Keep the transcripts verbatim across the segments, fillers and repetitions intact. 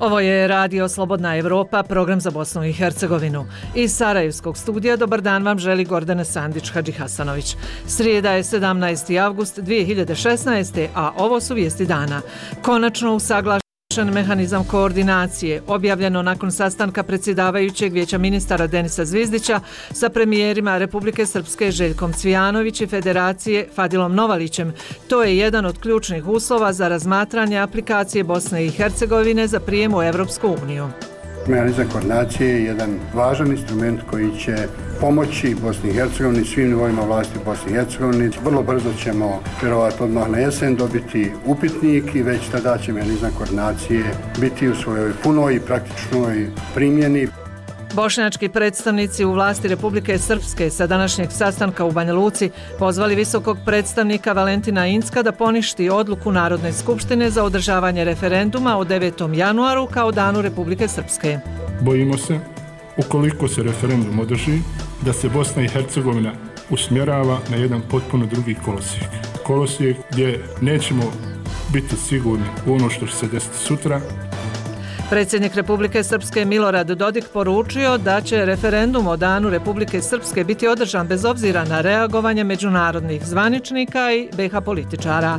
Ovo je Radio Slobodna Evropa, program za Bosnu i Hercegovinu. Iz Sarajevskog studija dobar dan vam želi Gordana Sandić-Hadžihasanović. Srijeda je sedamnaesti avgust dvije hiljade šesnaeste. a ovo su vijesti dana. Konačno usaglašen mehanizam koordinacije, objavljeno nakon sastanka predsjedavajućeg Vijeća ministara Denisa Zvizdića sa premijerima Republike Srpske Željkom Cvijanović i Federacije Fadilom Novalićem. To je jedan od ključnih uslova za razmatranje aplikacije Bosne i Hercegovine za prijem u Evropsku uniju. Mehanizam koordinacije je jedan važan instrument koji će pomoći Bosni i Hercegovini, svim nivoima vlasti Bosni i Hercegovini. Vrlo brzo ćemo, vjerovatno odmah na jesen, dobiti upitnik i već tada će mehanizam koordinacije biti u svojoj punoj i praktičnoj primjeni. Bošnjački predstavnici u vlasti Republike Srpske sa današnjeg sastanka u Banja Luci pozvali visokog predstavnika Valentina Incka da poništi odluku Narodne skupštine za održavanje referenduma o devetom januaru kao danu Republike Srpske. Bojimo se, ukoliko se referendum održi, da se Bosna i Hercegovina usmjerava na jedan potpuno drugi kolosijek. Kolosijek gdje nećemo biti sigurni u ono što će se desiti sutra. Predsjednik Republike Srpske Milorad Dodik poručio da će referendum o danu Republike Srpske biti održan bez obzira na reagovanje međunarodnih zvaničnika i be ha političara.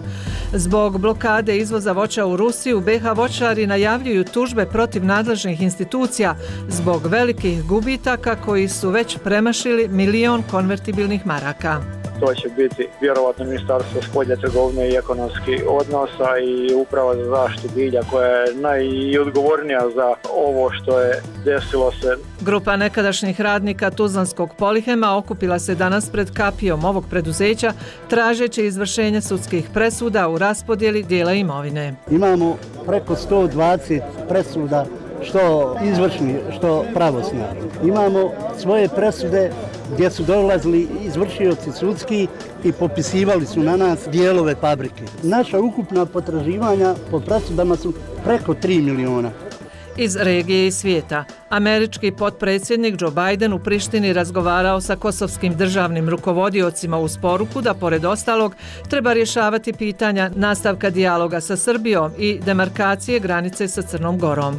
Zbog blokade izvoza voća u Rusiju, be ha voćari najavljuju tužbe protiv nadležnih institucija zbog velikih gubitaka koji su već premašili milion konvertibilnih maraka. To će biti vjerovatno Ministarstvo spoljne trgovine i ekonomskih odnosa i Uprava za zaštitu bilja koja je najodgovornija za ovo što je desilo se. Grupa nekadašnjih radnika Tuzlanskog Polihema okupila se danas pred kapijom ovog preduzeća tražeći izvršenje sudskih presuda u raspodjeli dijela imovine. Imamo preko sto dvadeset presuda, što izvršni, što pravosnažni. Imamo svoje presude gdje su dolazili izvršioci sudski i popisivali su na nas dijelove fabrike. Naša ukupna potraživanja po presudama su preko tri miliona. Iz regije i svijeta. Američki potpredsjednik Joe Biden u Prištini razgovarao sa kosovskim državnim rukovodiocima uz poruku da pored ostalog treba rješavati pitanja nastavka dijaloga sa Srbijom i demarkacije granice sa Crnom Gorom.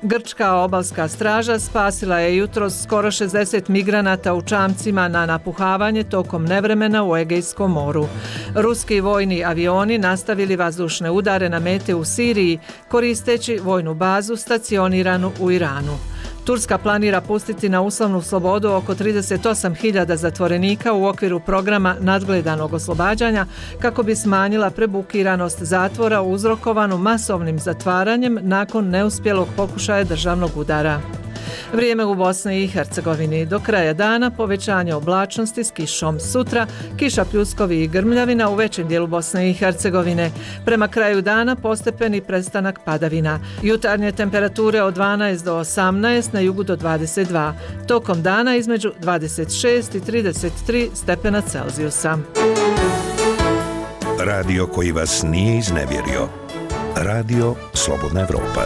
Grčka obalska straža spasila je jutros skoro šezdeset migranata u čamcima na napuhavanje tokom nevremena u Egejskom moru. Ruski vojni avioni nastavili vazdušne udare na mete u Siriji koristeći vojnu bazu stacioniranu u Iranu. Turska planira pustiti na uslovnu slobodu oko trideset osam hiljada zatvorenika u okviru programa nadgledanog oslobađanja kako bi smanjila prebukiranost zatvora uzrokovanu masovnim zatvaranjem nakon neuspjelog pokušaja državnog udara. Vrijeme u Bosni i Hercegovini. Do kraja dana povećanje oblačnosti s kišom. Sutra kiša, pljuskovi i grmljavina u većem dijelu Bosne i Hercegovine. Prema kraju dana postepeni prestanak padavina. Jutarnje temperature od dvanaest do osamnaest, na jugu do dvadeset dva. Tokom dana između dvadeset šest i trideset tri stepena Celzijusa. Radio koji vas nije iznevjerio. Radio Slobodna Evropa.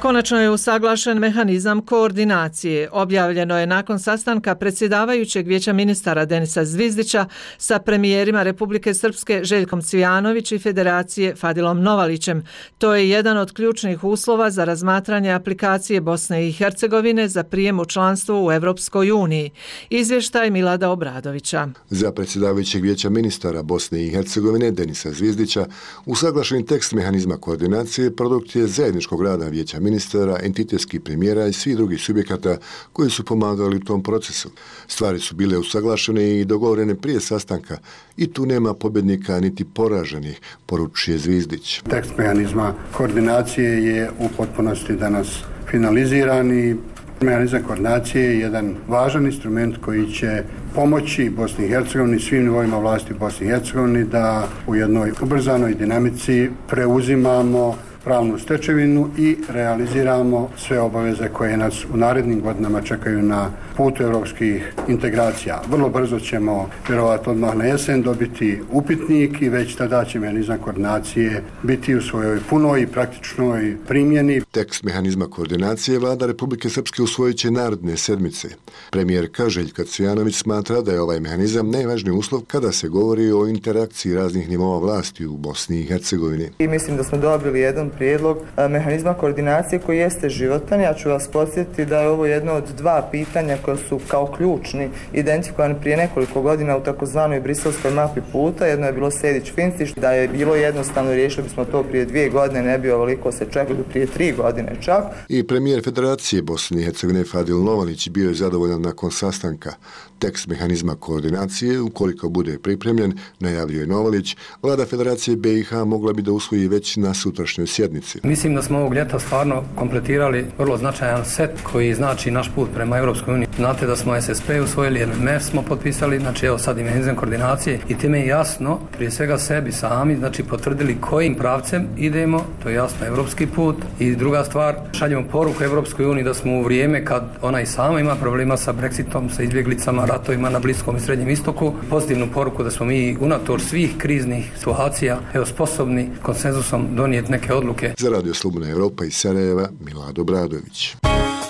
Konačno je usaglašen mehanizam koordinacije. Objavljeno je nakon sastanka predsjedavajućeg Vijeća ministara Denisa Zvizdića sa premijerima Republike Srpske Željkom Cvijanović i Federacije Fadilom Novalićem. To je jedan od ključnih uslova za razmatranje aplikacije Bosne i Hercegovine za prijem u članstvo u Evropskoj uniji. Izvještaj Milada Obradovića. Za predsjedavajućeg Vijeća ministara Bosne i Hercegovine Denisa Zvizdića usaglašen tekst mehanizma koordinacije produkt je zajedničkog rada Vijeća ministara, entitetskih premijera i svih drugih subjekata koji su pomagali u tom procesu. Stvari su bile usaglašene i dogovorene prije sastanka i tu nema pobjednika niti poraženih, poručuje Zvizdić. Tekst mehanizma koordinacije je u potpunosti danas finaliziran i mehanizam koordinacije je jedan važan instrument koji će pomoći Bosni i Hercegovini, svim nivoima vlasti Bosni i Hercegovini da u jednoj ubrzanoj dinamici preuzimamo pravnu stečevinu i realiziramo sve obaveze koje nas u narednim godinama čekaju na putu europskih integracija. Vrlo brzo ćemo, vjerovatno odmah na jesen, dobiti upitnik i već tada će mehanizam koordinacije biti u svojoj punoj i praktičnoj primjeni. Tekst mehanizma koordinacije vlada Republike Srpske usvojit će naredne sedmice. Premijerka Željka Cvijanović smatra da je ovaj mehanizam najvažniji uslov kada se govori o interakciji raznih nivoa vlasti u Bosni i Hercegovini. I mislim da smo dobili jedan prijedlog mehanizma koordinacije koji jeste životan. Ja ću vas podsjetiti da je ovo jedno od dva pitanja koja su kao ključni identifikovani prije nekoliko godina u takozvanoj briselskoj mapi puta. Jedno je bilo Sejdić-Finci, da je bilo jednostavno, riješili bismo to prije dvije godine, ne bi ovoliko se čekali prije tri godine čak. I premijer Federacije Bosne i Hercegovine Fadil Novalić bio je zadovoljan nakon sastanka. Tekst mehanizma koordinacije, ukoliko bude pripremljen, najavio je Novalić, vlada Federacije B i H mogla bi da usvoji već na sutrašnjoj sjednici. Mislim da smo ovog ljeta stvarno kompletirali vrlo značajan set koji znači naš put prema Europskoj uniji. Znate da smo S S P usvojili, M M F smo potpisali, znači evo sad i mehanizam koordinacije i time je jasno, prije svega sebi sami, znači potvrdili kojim pravcem idemo, to je jasno evropski put. I druga stvar, šaljemo poruku Europskoj uniji da smo u vrijeme kad ona i sama ima problema sa Brexitom, sa izbjeglicama, ratovima na Bliskom i Srednjem istoku, pozitivnu poruku da smo mi unatoč svih kriznih situacija evo sposobni konsenzusom donijeti neke odluke. Za Radio Slobodna Evropa iz Sarajeva, Milad Obradović.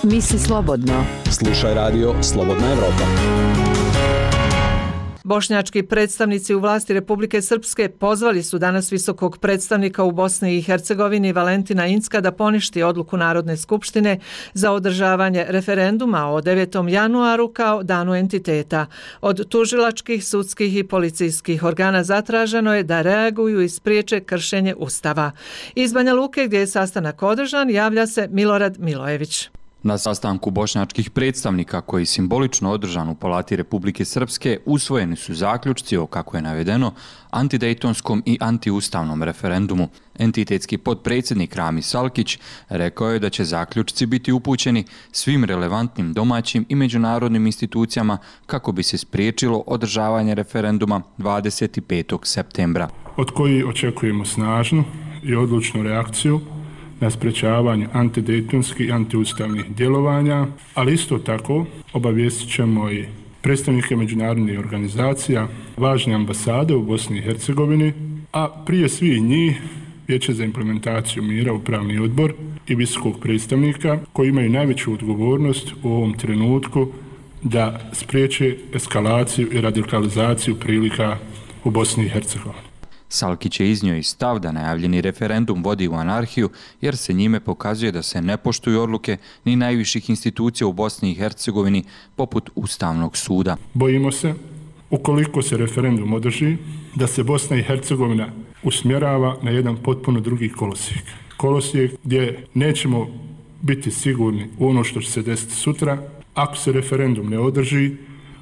Misli slobodno. Slušaj Radio Slobodna Evropa. Bošnjački predstavnici u vlasti Republike Srpske pozvali su danas visokog predstavnika u Bosni i Hercegovini Valentina Incka da poništi odluku Narodne skupštine za održavanje referenduma o devetom januaru kao danu entiteta. Od tužilačkih, sudskih i policijskih organa zatraženo je da reaguju i spriječe kršenje Ustava. Iz Banja Luke, gdje je sastanak održan, javlja se Milorad Milojević. Na sastanku bošnjačkih predstavnika koji simbolično održan u Palati Republike Srpske usvojeni su zaključci o, kako je navedeno, antidejtonskom i antiustavnom referendumu. Entitetski potpredsjednik Rami Salkić rekao je da će zaključci biti upućeni svim relevantnim domaćim i međunarodnim institucijama kako bi se spriječilo održavanje referenduma dvadeset petog septembra. Od koji očekujemo snažnu i odlučnu reakciju na sprečavanje antidejtonskih i antiustavnih djelovanja, ali isto tako obavijestit ćemo i predstavnike međunarodnih organizacija, važne ambasade u Bosni i Hercegovini, a prije svih njih Vijeće za implementaciju mira, Upravni odbor i visokog predstavnika koji imaju najveću odgovornost u ovom trenutku da spriječe eskalaciju i radikalizaciju prilika u Bosni i Hercegovini. Salkić je iznio i stav da najavljeni referendum vodi u anarhiju jer se njime pokazuje da se ne poštuju odluke ni najviših institucija u Bosni i Hercegovini poput Ustavnog suda. Bojimo se, ukoliko se referendum održi, da se Bosna i Hercegovina usmjerava na jedan potpuno drugi kolosijek. Kolosijek gdje nećemo biti sigurni u ono što će se desiti sutra. Ako se referendum ne održi,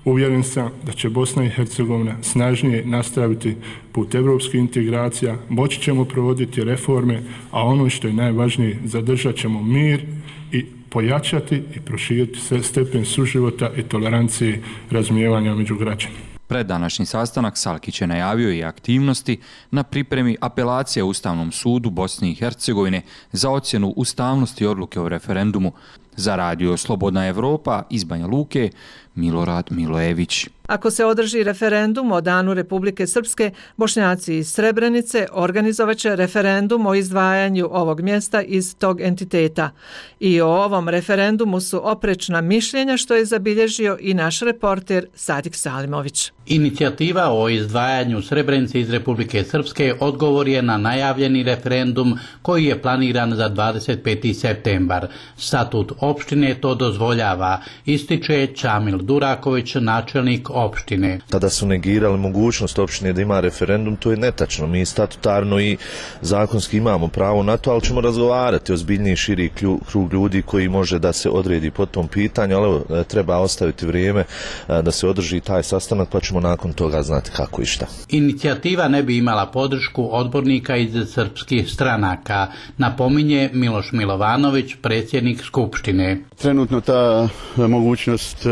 uvjeren sam da će Bosna i Hercegovina snažnije nastaviti put evropskih integracija, moći ćemo provoditi reforme, a ono što je najvažnije, zadržat ćemo mir i pojačati i proširiti stepen suživota i tolerancije razumijevanja među građanima. Pred današnji sastanak Salkić je najavio i aktivnosti na pripremi apelacije Ustavnom sudu Bosne i Hercegovine za ocjenu ustavnosti odluke o referendumu. Za Radio Slobodna Evropa iz Banja Luke, Milorad Milojević. Ako se održi referendum o danu Republike Srpske, Bošnjaci iz Srebrenice organizovaće referendum o izdvajanju ovog mjesta iz tog entiteta. I o ovom referendumu su oprečna mišljenja, što je zabilježio i naš reporter Sadik Salimović. Inicijativa o izdvajanju Srebrenice iz Republike Srpske odgovor je na najavljeni referendum koji je planiran za dvadeset peti septembar. Statut opštine to dozvoljava, ističe Čamil Duraković, načelnik opštine. Tada su negirali mogućnost opštine da ima referendum, to je netačno. Mi statutarno i zakonski imamo pravo na to, ali ćemo razgovarati o zbiljniji širi krug ljudi koji može da se odredi po tom pitanju, ali evo, treba ostaviti vrijeme da se održi taj sastanak, pa ćemo nakon toga znati kako i šta. Inicijativa ne bi imala podršku odbornika iz srpskih stranaka, napominje Miloš Milovanović, predsjednik Skupštine. Trenutno ta mogućnost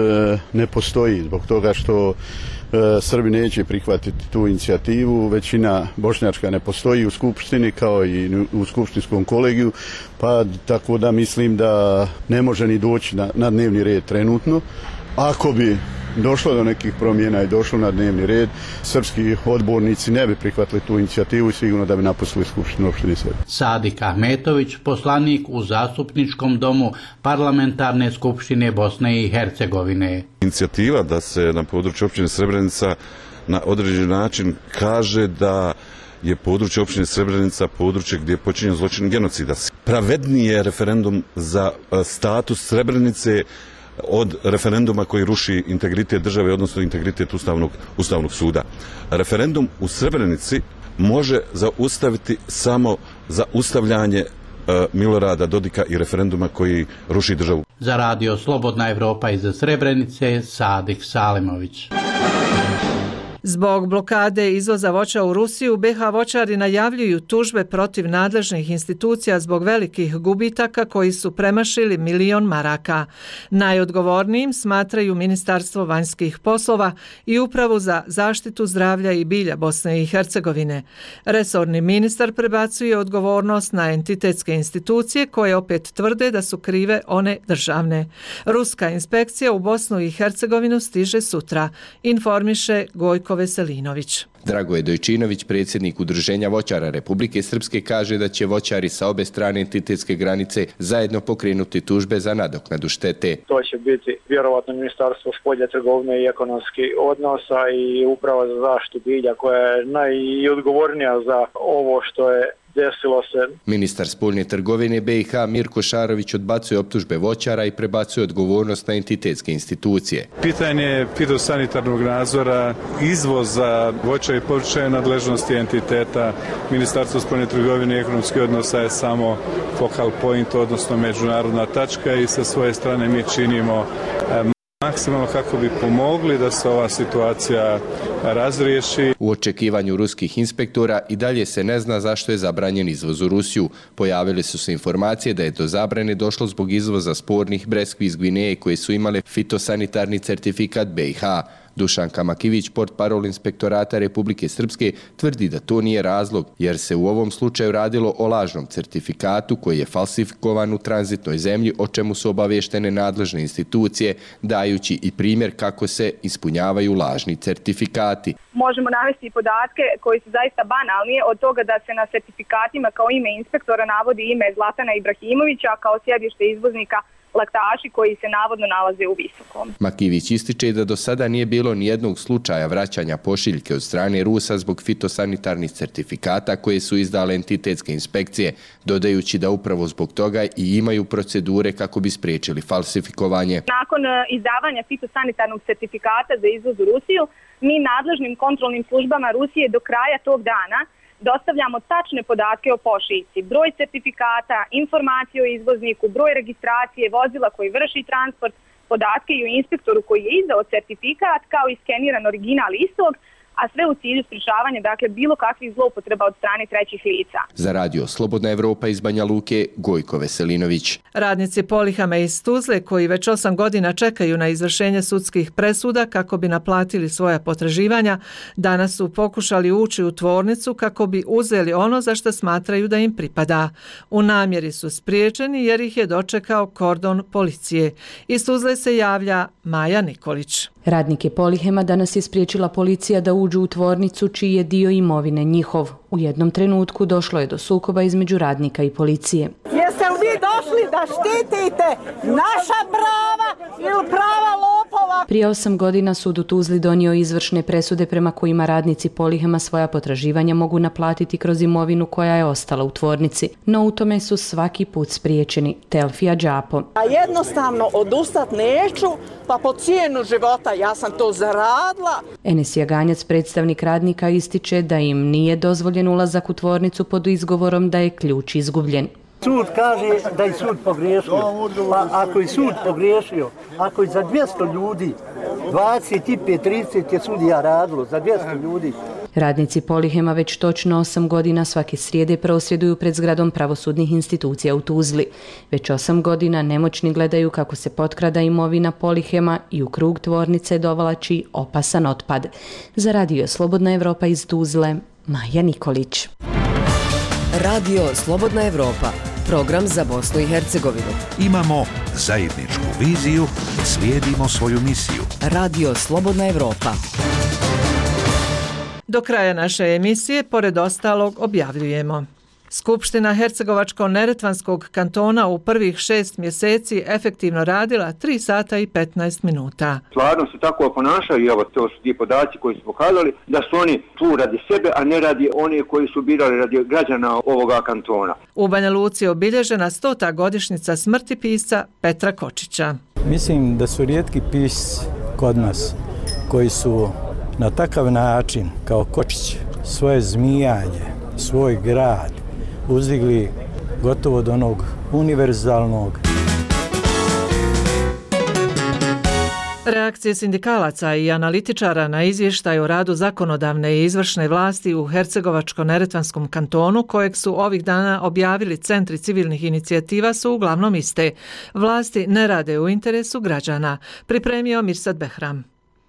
ne postoji zbog toga što Srbi neće prihvatiti tu inicijativu, većina bošnjačka ne postoji u Skupštini kao i u Skupštinskom kolegiju, pa tako da mislim da ne može ni doći na, na dnevni red trenutno. Ako bi došlo do nekih promjena i došlo na dnevni red, srpski odbornici ne bi prihvatili tu inicijativu i sigurno da bi napustili Skupštinu opštine Srbije. Sadik Ahmetović, poslanik u Zastupničkom domu Parlamentarne skupštine Bosne i Hercegovine. Inicijativa da se na području opštine Srebrenica na određen način kaže da je područje općine Srebrenica područje gdje je počinjen zločin genocida. Pravedniji je referendum za status Srebrenice od referenduma koji ruši integritet države, odnosno integritet Ustavnog, Ustavnog suda. Referendum u Srebrenici može zaustaviti samo zaustavljanje Milorada Dodika i referenduma koji ruši državu. Za radio Slobodna Evropa iz Srebrenice, Sadik Salimović. Zbog blokade izvoza voća u Rusiju, be ha voćari najavljuju tužbe protiv nadležnih institucija zbog velikih gubitaka koji su premašili milion maraka. Najodgovornijim smatraju Ministarstvo vanjskih poslova i Upravu za zaštitu zdravlja i bilja Bosne i Hercegovine. Resorni ministar prebacuje odgovornost na entitetske institucije koje opet tvrde da su krive one državne. Ruska inspekcija u Bosnu i Hercegovinu stiže sutra, informiše Gojko Veselinović. Dragoje Dojčinović, predsjednik Udruženja voćara Republike Srpske, kaže da će voćari sa obe strane entitetske granice zajedno pokrenuti tužbe za nadoknadu štete. To će biti vjerovatno Ministarstvo spoljne trgovine i ekonomskih odnosa i Uprava za zaštitu bilja koja je najodgovornija za ovo što je desilo se. Ministar spoljne trgovine be i ha Mirko Šarović odbacuje optužbe voćara i prebacuje odgovornost na entitetske institucije. Pitanje fitosanitarnog nadzora, izvoza voća i povrća je nadležnosti entiteta. Ministarstvo spoljne trgovine i ekonomskih odnosa je samo focal point, odnosno međunarodna tačka, i sa svoje strane mi činimo maksimalno kako bi pomogli da se ova situacija razriješi. U očekivanju ruskih inspektora i dalje se ne zna zašto je zabranjen izvoz u Rusiju. Pojavile su se informacije da je do zabrane došlo zbog izvoza spornih breskvi iz Gvineje koje su imale fitosanitarni certifikat be i ha. Dušanka Makivić, portparol inspektorata Republike Srpske, tvrdi da to nije razlog, jer se u ovom slučaju radilo o lažnom certifikatu koji je falsifikovan u tranzitnoj zemlji, o čemu su obavještene nadležne institucije, dajući i primjer kako se ispunjavaju lažni certifikati. Možemo navesti podatke koji su zaista banalni, od toga da se na certifikatima kao ime inspektora navodi ime Zlatana Ibrahimovića kao sjedište izvoznika laktaši koji se navodno nalaze u Visokom. Makivić ističe da do sada nije bilo nijednog slučaja vraćanja pošiljke od strane Rusa zbog fitosanitarnih certifikata koje su izdale entitetske inspekcije, dodajući da upravo zbog toga i imaju procedure kako bi spriječili falsifikovanje. Nakon izdavanja fitosanitarnog certifikata za izvoz u Rusiju, mi nadležnim kontrolnim službama Rusije do kraja tog dana dostavljamo tačne podatke o pošiljci, broj certifikata, informacije o izvozniku, broj registracije vozila koji vrši transport, podatke i o inspektoru koji je izdao certifikat, kao i skeniran original istog, a sve u cilju sprječavanja, dakle, bilo kakvih zloupotreba od strane trećih lica. Za radio Slobodna Evropa iz Banja Luke, Gojko Veselinović. Radnici Polihama iz Tuzle, koji već osam godina čekaju na izvršenje sudskih presuda kako bi naplatili svoja potraživanja, danas su pokušali ući u tvornicu kako bi uzeli ono za što smatraju da im pripada. U namjeri su spriječeni jer ih je dočekao kordon policije. Iz Tuzle se javlja Maja Nikolić. Radnike Polihema danas je spriječila policija da uđu u tvornicu čiji je dio imovine njihov. U jednom trenutku došlo je do sukoba između radnika i policije. Jeste li vi došli da štitite naša prava ili prava lopova? Prije osam godina sud u Tuzli donio izvršne presude prema kojima radnici Polihema svoja potraživanja mogu naplatiti kroz imovinu koja je ostala u tvornici. No u tome su svaki put spriječeni. Telfija Đapo. A jednostavno odustat neću, pa po cijenu života ja sam to zaradila. Enes Jaganjac, predstavnik radnika, ističe da im nije dozvoljen ulazak u tvornicu pod izgovorom da je ključ izgubljen. Sud kaže da je sud pogriješio. Pa ako je sud pogriješio, ako je za dvjesto ljudi, dvadeset pet trideset je sudija radilo, za dvjesto ljudi. Radnici Polihema već točno osam godina svake srijede prosvjeduju pred zgradom pravosudnih institucija u Tuzli. Već osam godina nemoćni gledaju kako se potkrada imovina Polihema i u krug tvornice dovlači opasan otpad. Za radio Slobodna Evropa iz Tuzle, Maja Nikolić. Radio Slobodna Evropa, program za Bosnu i Hercegovinu. Imamo zajedničku viziju, slijedimo svoju misiju. Radio Slobodna Evropa. Do kraja naše emisije, pored ostalog, objavljujemo. Skupština Hercegovačko-neretvanskog kantona u prvih šest mjeseci efektivno radila tri sata i petnaest minuta. Stvarno se tako ponašaju i evo to su ti podaci koji su pokazali da su oni tu radi sebe, a ne radi oni koji su birali radi građana ovoga kantona. U Banja Luci je obilježena stota godišnjica smrti pisca Petra Kočića. Mislim da su rijetki pisci kod nas koji su na takav način kao Kočić svoje zmijanje, svoj grad uzdigli gotovo do onog univerzalnog. Reakcije sindikalaca i analitičara na izvještaj o radu zakonodavne i izvršne vlasti u Hercegovačko-neretvanskom kantonu, kojeg su ovih dana objavili centri civilnih inicijativa, su uglavnom iste. Vlasti ne rade u interesu građana. Pripremio Mirsad Behram.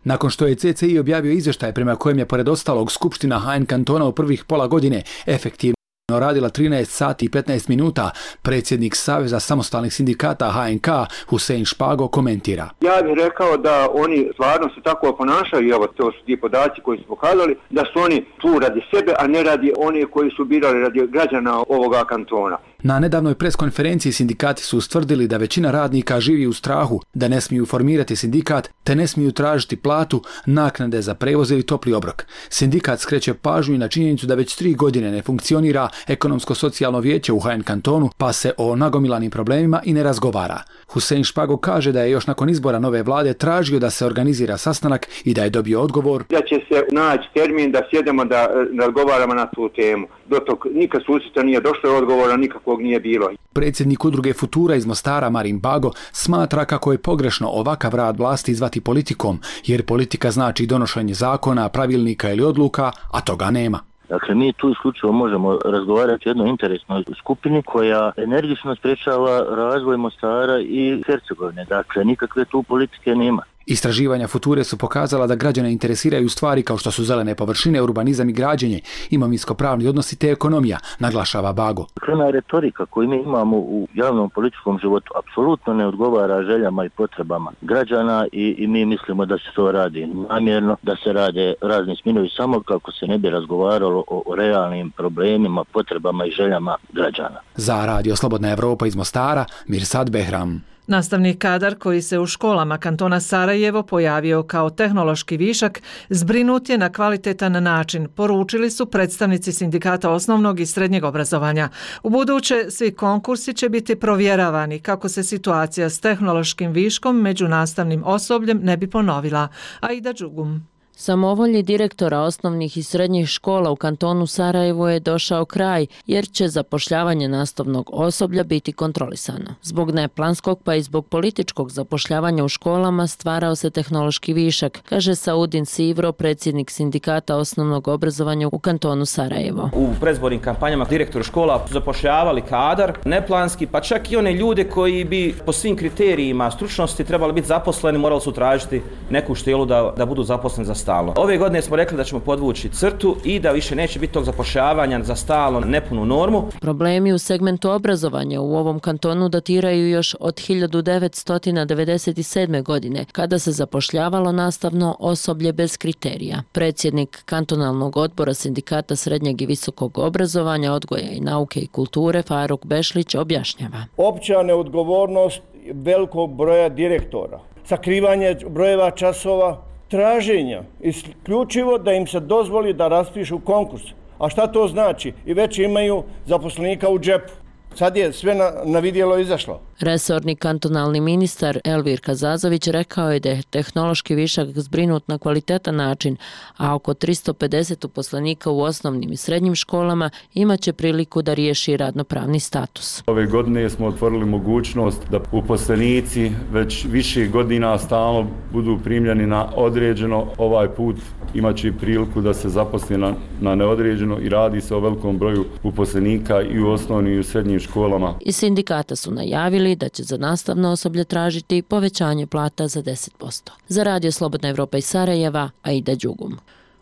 Nakon što je C C I objavio izvještaj prema kojem je pored ostalog Skupština H N kantona u prvih pola godine efektivno radila trinaest sati i petnaest minuta, predsjednik Saveza samostalnih sindikata H N K Husein Špago komentira. Ja bih rekao da oni stvarno se tako ponašaju i evo to su ti podaci koji su pokazali da su oni tu radi sebe, a ne radi oni koji su birali radi građana ovoga kantona. Na nedavnoj preskonferenciji sindikati su ustvrdili da većina radnika živi u strahu, da ne smiju formirati sindikat, te ne smiju tražiti platu, naknade za prevoz ili topli obrok. Sindikat skreće pažnju i na činjenicu da već tri godine ne funkcionira ekonomsko-socijalno vijeće u H N kantonu, pa se o nagomilanim problemima i ne razgovara. Husein Špago kaže da je još nakon izbora nove vlade tražio da se organizira sastanak i da je dobio odgovor da će se naći termin da sjedemo da razgovaramo na tu temu. Do tog nikad susreta nije došlo, odgovora nikakvog nije bilo. Predsjednik udruge Futura iz Mostara Marin Bago smatra kako je pogrešno ovakav rad vlasti zvati politikom, jer politika znači donošenje zakona, pravilnika ili odluka, a toga nema. Dakle, mi tu isključivo možemo razgovarati o jednoj interesnoj skupini koja energično sprečava razvoj Mostara i Hercegovine. Dakle, nikakve tu politike nema. Istraživanja Future su pokazala da građane interesiraju stvari kao što su zelene površine, urbanizam i građenje, imovinsko-pravni odnosi te ekonomija, naglašava Bago. Krena retorika koju mi imamo u javnom političkom životu apsolutno ne odgovara željama i potrebama građana i, i mi mislimo da se to radi namjerno, da se rade razni sminovi samo kako se ne bi razgovaralo o, o realnim problemima, potrebama i željama građana. Za Radio Slobodna Evropa iz Mostara, Mirsad Behram. Nastavni kadar koji se u školama kantona Sarajevo pojavio kao tehnološki višak zbrinut je na kvalitetan način, poručili su predstavnici sindikata osnovnog i srednjeg obrazovanja. U buduće svi konkursi će biti provjeravani kako se situacija s tehnološkim viškom među nastavnim osobljem ne bi ponovila. Aida Đugum. Samovolji direktora osnovnih i srednjih škola u kantonu Sarajevo je došao kraj, jer će zapošljavanje nastavnog osoblja biti kontrolisano. Zbog neplanskog pa i zbog političkog zapošljavanja u školama stvarao se tehnološki višak, kaže Saudin Sivro, predsjednik sindikata osnovnog obrazovanja u kantonu Sarajevo. U predizbornim kampanjama direktori škola su zapošljavali kadar, neplanski, pa čak i one ljude koji bi po svim kriterijima stručnosti trebali biti zaposleni, morali su tražiti neku štelu da, da budu zaposleni za stalno. Ove godine smo rekli da ćemo podvući crtu i da više neće biti tog zapošljavanja za stalno nepunu normu. Problemi u segmentu obrazovanja u ovom kantonu datiraju još od hiljadu devetsto devedeset sedme. godine, kada se zapošljavalo nastavno osoblje bez kriterija. Predsjednik kantonalnog odbora sindikata srednjeg i visokog obrazovanja, odgoja i nauke i kulture Faruk Bešlić objašnjava. Opća neodgovornost velikog broja direktora, sakrivanje brojeva časova, traženja, isključivo da im se dozvoli da raspišu konkurs. A šta to znači? I već imaju zaposlenika u džepu. Sad je sve na, na vidjelo izašlo. Resorni kantonalni ministar Elvir Kazazović rekao je da je tehnološki višak zbrinut na kvalitetan način, a oko tristo pedeset uposlenika u osnovnim i srednjim školama imaće priliku da riješi radnopravni status. Ove godine smo otvorili mogućnost da uposlenici već više godina stalno budu primljeni na određeno. Ovaj put imaće priliku da se zaposle na, na neodređeno i radi se o velikom broju uposlenika i u osnovnim i u srednjim školama. I sindikata su najavili da će za nastavno osoblje tražiti povećanje plata za deset posto. Za Radio Slobodna Evropa iz Sarajeva, Aida Đugum.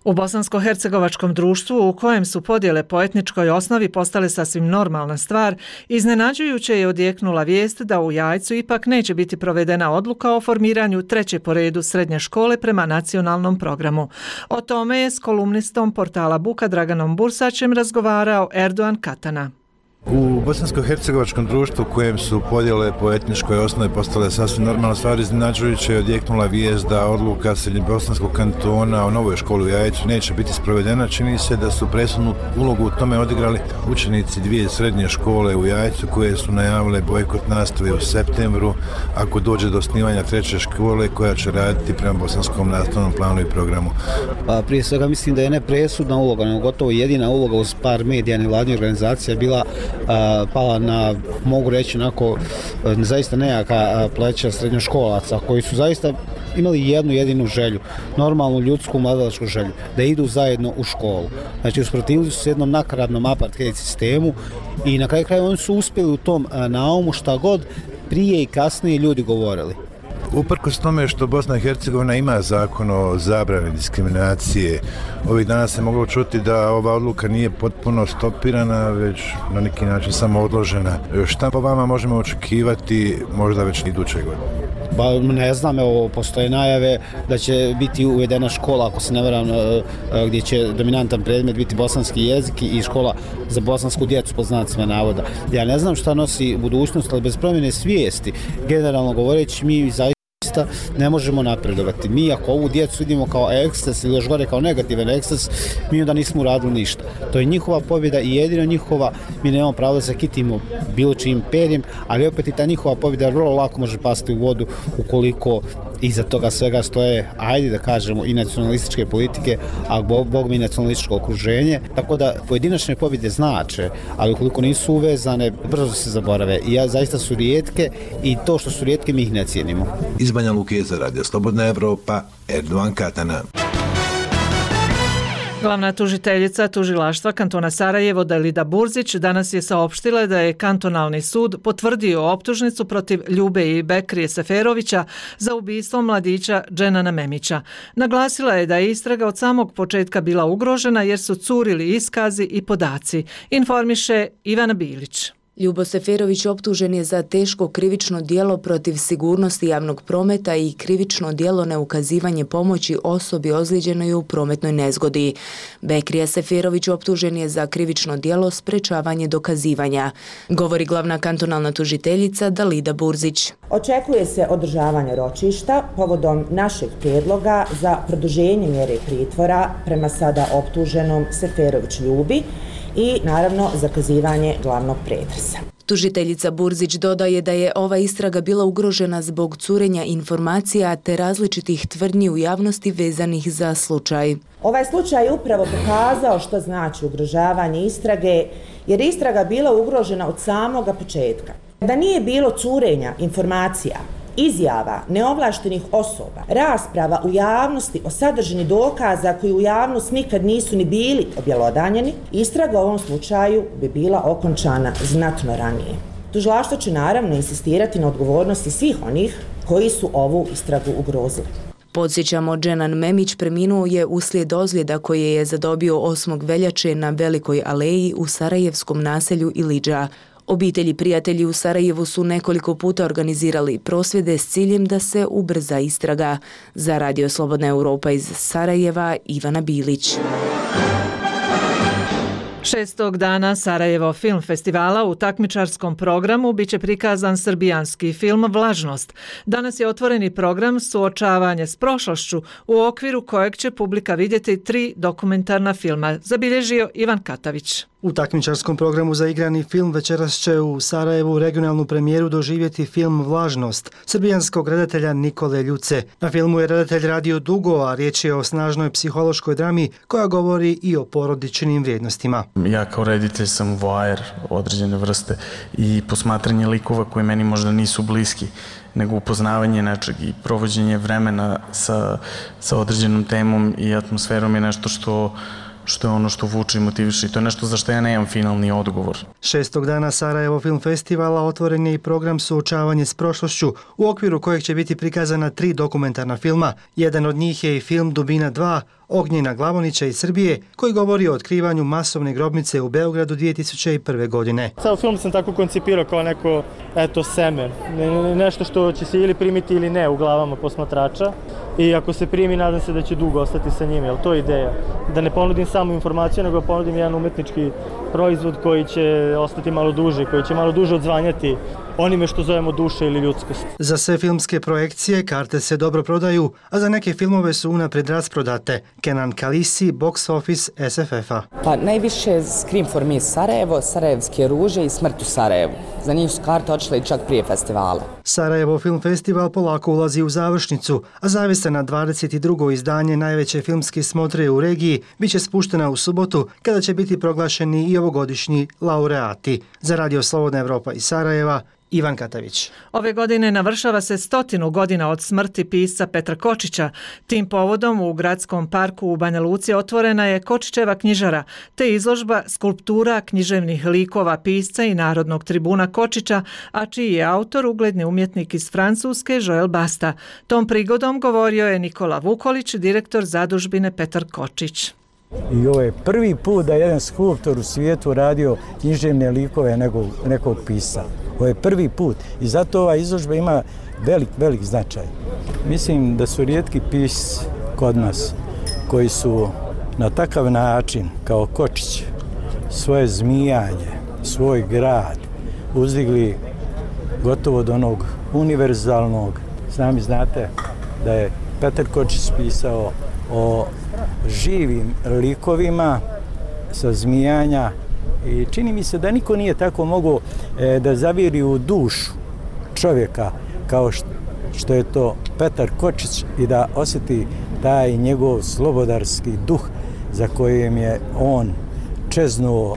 U bosansko-hercegovačkom društvu, u kojem su podjele po etničkoj osnovi postale sasvim normalna stvar, iznenađujuće je odjeknula vijest da u Jajcu ipak neće biti provedena odluka o formiranju treće po redu srednje škole prema nacionalnom programu. O tome je s kolumnistom portala Buka Draganom Bursačem razgovarao Erdogan Katana. U bosansko-hercegovačkom društvu u kojem su podjele po etničkoj osnovi postale sasvim normalna stvar, iznenađujuće je odjeknula vijest da odluka Srednjobosanskog kantona o novoj školi u Jajcu neće biti sprovedena. Čini se da su presudnu ulogu u tome odigrali učenici dvije srednje škole u Jajcu koje su najavile bojkot nastave u septembru ako dođe do osnivanja treće škole koja će raditi prema bosanskom nastavnom planu i programu. Pa, prije svega mislim da je ne presudna uloga, nego gotovo jedina uloga uz par medija nevladnih organizacija bila a, pala na, mogu reći, onako zaista nejaka pleća srednjoškolaca koji su zaista imali jednu jedinu želju, normalnu ljudsku mladalačku želju, da idu zajedno u školu. Znači, usprotivili su se jednom nakaradnom apartheid sistemu i na kraju kraja oni su uspjeli u tom naumu šta god prije i kasnije ljudi govorili. Uprkos tome što Bosna i Hercegovina ima zakon o zabrani diskriminacije, ovih dana se moglo čuti da ova odluka nije potpuno stopirana, već na neki način samo odložena. Šta po vama možemo očekivati možda već iduće godine? Pa ne znam, evo, postoje najave da će biti uvedena škola, ako se ne varam, gdje će dominantan predmet biti bosanski jezik i škola za bosansku djecu, po znacima navoda. Ja ne znam šta nosi budućnost, ali bez promjene svijesti, generalno govoreći, mi zaista ne možemo napredovati. Mi ako ovu djecu vidimo kao eksces ili još gore kao negativan eksces, mi onda nismo uradili ništa. To je njihova pobjeda i jedino njihova, mi nemamo pravo da se kitimo bilo čijim perjem, ali opet i ta njihova pobjeda vrlo lako može pasti u vodu ukoliko iza toga svega stoje, ajde da kažemo, i nacionalističke politike, a bog, bog mi nacionalističko okruženje. Tako da pojedinačne pobjede znače, ali ukoliko nisu uvezane, brzo se zaborave. I ja, zaista su rijetke i to što su rijetke mi ih ne cijenimo. Iz Banja Luke za Radio Slobodna Evropa, Erdovan Katana. Glavna tužiteljica tužilaštva kantona Sarajevo Dalida Burzić danas je saopštila da je kantonalni sud potvrdio optužnicu protiv Ljube i Bekrije Seferovića za ubistvo mladića Dženana Memića. Naglasila je da je istraga od samog početka bila ugrožena jer su curili iskazi i podaci. Informiše Ivana Bilić. Ljubo Seferović optužen je za teško krivično djelo protiv sigurnosti javnog prometa i krivično djelo neukazivanje pomoći osobi ozlijeđenoj u prometnoj nezgodi. Bekrija Seferović optužen je za krivično djelo sprečavanje dokazivanja, govori glavna kantonalna tužiteljica Dalida Burzić. Očekuje se održavanje ročišta povodom našeg prijedloga za produženje mjere pritvora prema sada optuženom Seferović Ljubi i naravno zakazivanje glavnog pretresa. Tužiteljica Burzić dodaje da je ova istraga bila ugrožena zbog curenja informacija te različitih tvrdnji u javnosti vezanih za slučaj. Ovaj slučaj je upravo pokazao što znači ugrožavanje istrage, jer istraga bila ugrožena od samoga početka. Da nije bilo curenja informacija, izjava neovlaštenih osoba, rasprava u javnosti o sadržini dokaza koji u javnost nikad nisu ni bili objelodanjeni, istraga u ovom slučaju bi bila okončana znatno ranije. Tužilaštvo će naravno insistirati na odgovornosti svih onih koji su ovu istragu ugrozili. Podsjećamo, Dženan Memić preminuo je uslijed ozljeda koje je zadobio osmog veljače na Velikoj aleji u sarajevskom naselju Ilidža. Obitelji i prijatelji u Sarajevu su nekoliko puta organizirali prosvjede s ciljem da se ubrza istraga. Za Radio Slobodna Evropa iz Sarajeva, Ivana Bilić. Šestog dana Sarajevo film festivala u takmičarskom programu biće prikazan srbijanski film Vlažnost. Danas je otvoreni program Suočavanje s prošlošću u okviru kojeg će publika vidjeti tri dokumentarna filma, zabilježio Ivan Katavić. U takmičarskom programu za igrani film večeras će u Sarajevu regionalnu premijeru doživjeti film Vlažnost srbijanskog redatelja Nikole Ljuce. Na filmu je redatelj radio dugo, a riječ je o snažnoj psihološkoj drami koja govori i o porodičnim vrijednostima. Ja kao reditelj sam voajer određene vrste i posmatranje likova koji meni možda nisu bliski, nego upoznavanje nečeg i provođenje vremena sa, sa određenom temom i atmosferom je nešto što što je ono što vuče i motiviše i to je nešto za što ja nemam finalni odgovor. Šestog dana Sarajevo Film Festivala otvoren je i program Suočavanje s prošlošću, u okviru kojeg će biti prikazana tri dokumentarna filma. Jedan od njih je i film Dubina dva, Ognjena Glavonića iz Srbije, koji govori o otkrivanju masovne grobnice u Beogradu dvije tisuće prve. godine. Ceo film sam tako koncipirao kao neko eto seme, nešto što će se ili primiti ili ne u glavama posmatrača i ako se primi nadam se da će dugo ostati sa njim, jel to je ideja. Da ne ponudim samo informaciju, nego ponudim jedan umetnički proizvod koji će ostati malo duže, koji će malo duže odzvanjati onime što zovemo duša ili ljudskost. Za sve filmske projekcije karte se dobro prodaju, a za neke filmove su unapred rasprodate. Kenan Kalisi, Box Office S F F-a. Pa najviše Scream for Me Sarajevo, Sarajevske ruže i Smrt u Sarajevu. Za njih su karte odšle i čak prije festivala. Sarajevo Film Festival polako ulazi u završnicu, a zavista na dvadeset drugo izdanje najveće filmske smotre u regiji biće spuštena u subotu kada će biti proglašeni i ovogodišnji laureati. Za Radio Slobodna Evropa iz Sarajeva, Ivan Katavić. Ove godine navršava se stotinu godina od smrti pisca Petra Kočića. Tim povodom u Gradskom parku u Banja Luci otvorena je Kočićeva knjižara, te izložba skulptura književnih likova pisca i narodnog tribuna Kočića, a čiji je autor ugledni umjetnik iz Francuske Joel Basta. Tom prigodom govorio je Nikola Vukolić, direktor zadužbine Petar Kočić. I ovo je prvi put da jedan skulptor u svijetu radio književne likove nekog, nekog pisa. Ovo je prvi put i zato ova izložba ima velik, velik značaj. Mislim da su rijetki pisci kod nas koji su na takav način kao Kočić svoje zmijanje, svoj grad uzdigli gotovo do onog univerzalnog. Sami znate da je Petar Kočić pisao o živim likovima sa zmijanja i čini mi se da niko nije tako mogao e, da zaviri u dušu čovjeka kao što je to Petar Kočić i da osjeti taj njegov slobodarski duh za kojem je on čeznuo.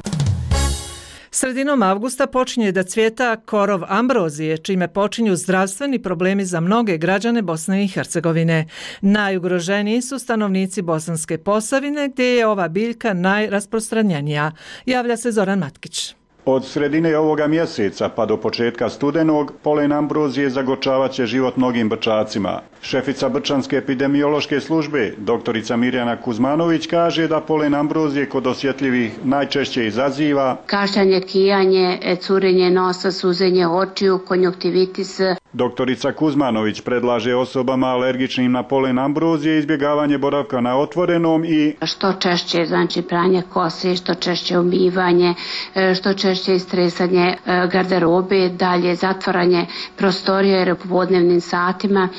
Sredinom avgusta počinje da cvjeta korov ambrozije, čime počinju zdravstveni problemi za mnoge građane Bosne i Hercegovine. Najugroženiji su stanovnici Bosanske Posavine, gdje je ova biljka najrasprostranjenija. Javlja se Zoran Matkić. Od sredine ovoga mjeseca pa do početka studenog polen ambrozije zagorčavat će život mnogim brčacima. Šefica Brčanske epidemiološke službe, doktorica Mirjana Kuzmanović, kaže da polen ambrozije kod osjetljivih najčešće izaziva kašljanje, kijanje, curenje nosa, suzenje očiju, konjuktivitis. Doktorica Kuzmanović predlaže osobama alergičnim na polen ambrozije izbjegavanje boravka na otvorenom i što češće, znači pranje kose, što češće umivanje, što češće istresanje garderobe, dalje zatvaranje prostorija jer u popodnevnim satima,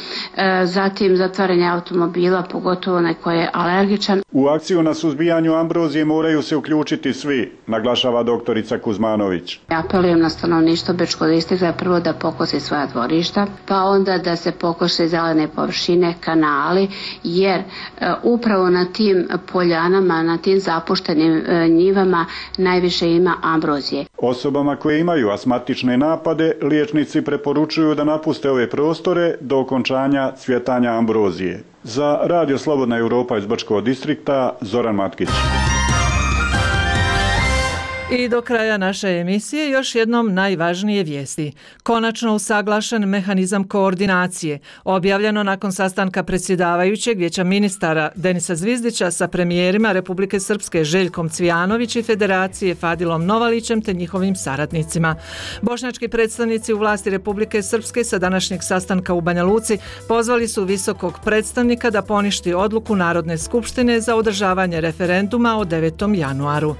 zatim zatvaranje automobila, pogotovo onaj koji je alergičan. U akciju na suzbijanju ambrozije moraju se uključiti svi, naglašava doktorica Kuzmanović. Ja apelujem na stanovništvo Bečkog distrikta prvo da pokosi svoja dvorišta, pa onda da se pokoše zelene površine, kanali, jer e, upravo na tim poljanama, na tim zapuštenim e, njivama najviše ima ambrozije. Osobama koje imaju astmatične napade, liječnici preporučuju da napuste ove prostore do okončanja cvjetanja ambrozije. Za Radio Slobodna Evropa iz Brčkog distrikta, Zoran Matkić. I do kraja naše emisije još jednom najvažnije vijesti. Konačno usaglašen mehanizam koordinacije, objavljeno nakon sastanka predsjedavajućeg Vijeća ministara Denisa Zvizdića sa premijerima Republike Srpske Željkom Cvijanović i Federacije Fadilom Novalićem te njihovim saradnicima. Bošnjački predstavnici u vlasti Republike Srpske sa današnjeg sastanka u Banja Luci pozvali su visokog predstavnika da poništi odluku Narodne skupštine za održavanje referenduma od devetog januaru.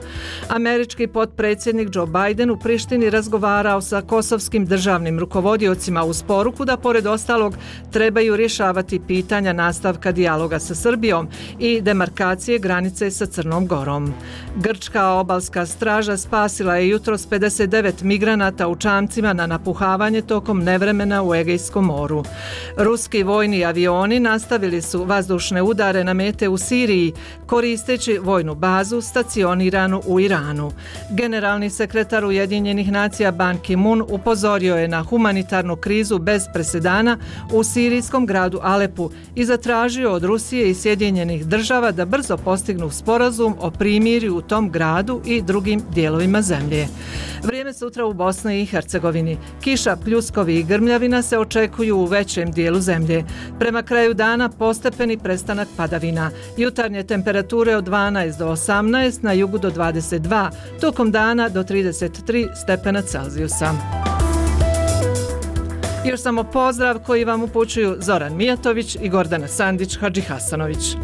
Američki potpredsjednik Joe Biden u Prištini razgovarao sa kosovskim državnim rukovodiocima uz poruku da pored ostalog trebaju rješavati pitanja nastavka dijaloga sa Srbijom i demarkacije granice sa Crnom Gorom. Grčka obalska straža spasila je jutros pedeset devet migranata u čamcima na napuhavanje tokom nevremena u Egejskom moru. Ruski vojni avioni nastavili su vazdušne udare na mete u Siriji koristeći vojnu bazu stacioniranu u Iranu. Generalni sekretar Ujedinjenih nacija Ban Ki-moon upozorio je na humanitarnu krizu bez presedana u sirijskom gradu Alepu i zatražio od Rusije i Sjedinjenih država da brzo postignu sporazum o primirju u tom gradu i drugim dijelovima zemlje. Vrijeme sutra u Bosni i Hercegovini. Kiša, pljuskovi i grmljavina se očekuju u većem dijelu zemlje. Prema kraju dana postepeni prestanak padavina. Jutarnje temperature od dvanaest do osamnaest, na jugu do dvadeset dva, tokom dana do trideset tri stepena Celzijusa. Još samo pozdrav koji vam upućuju Zoran Mijatović i Gordana Sandić Hadžihasanović.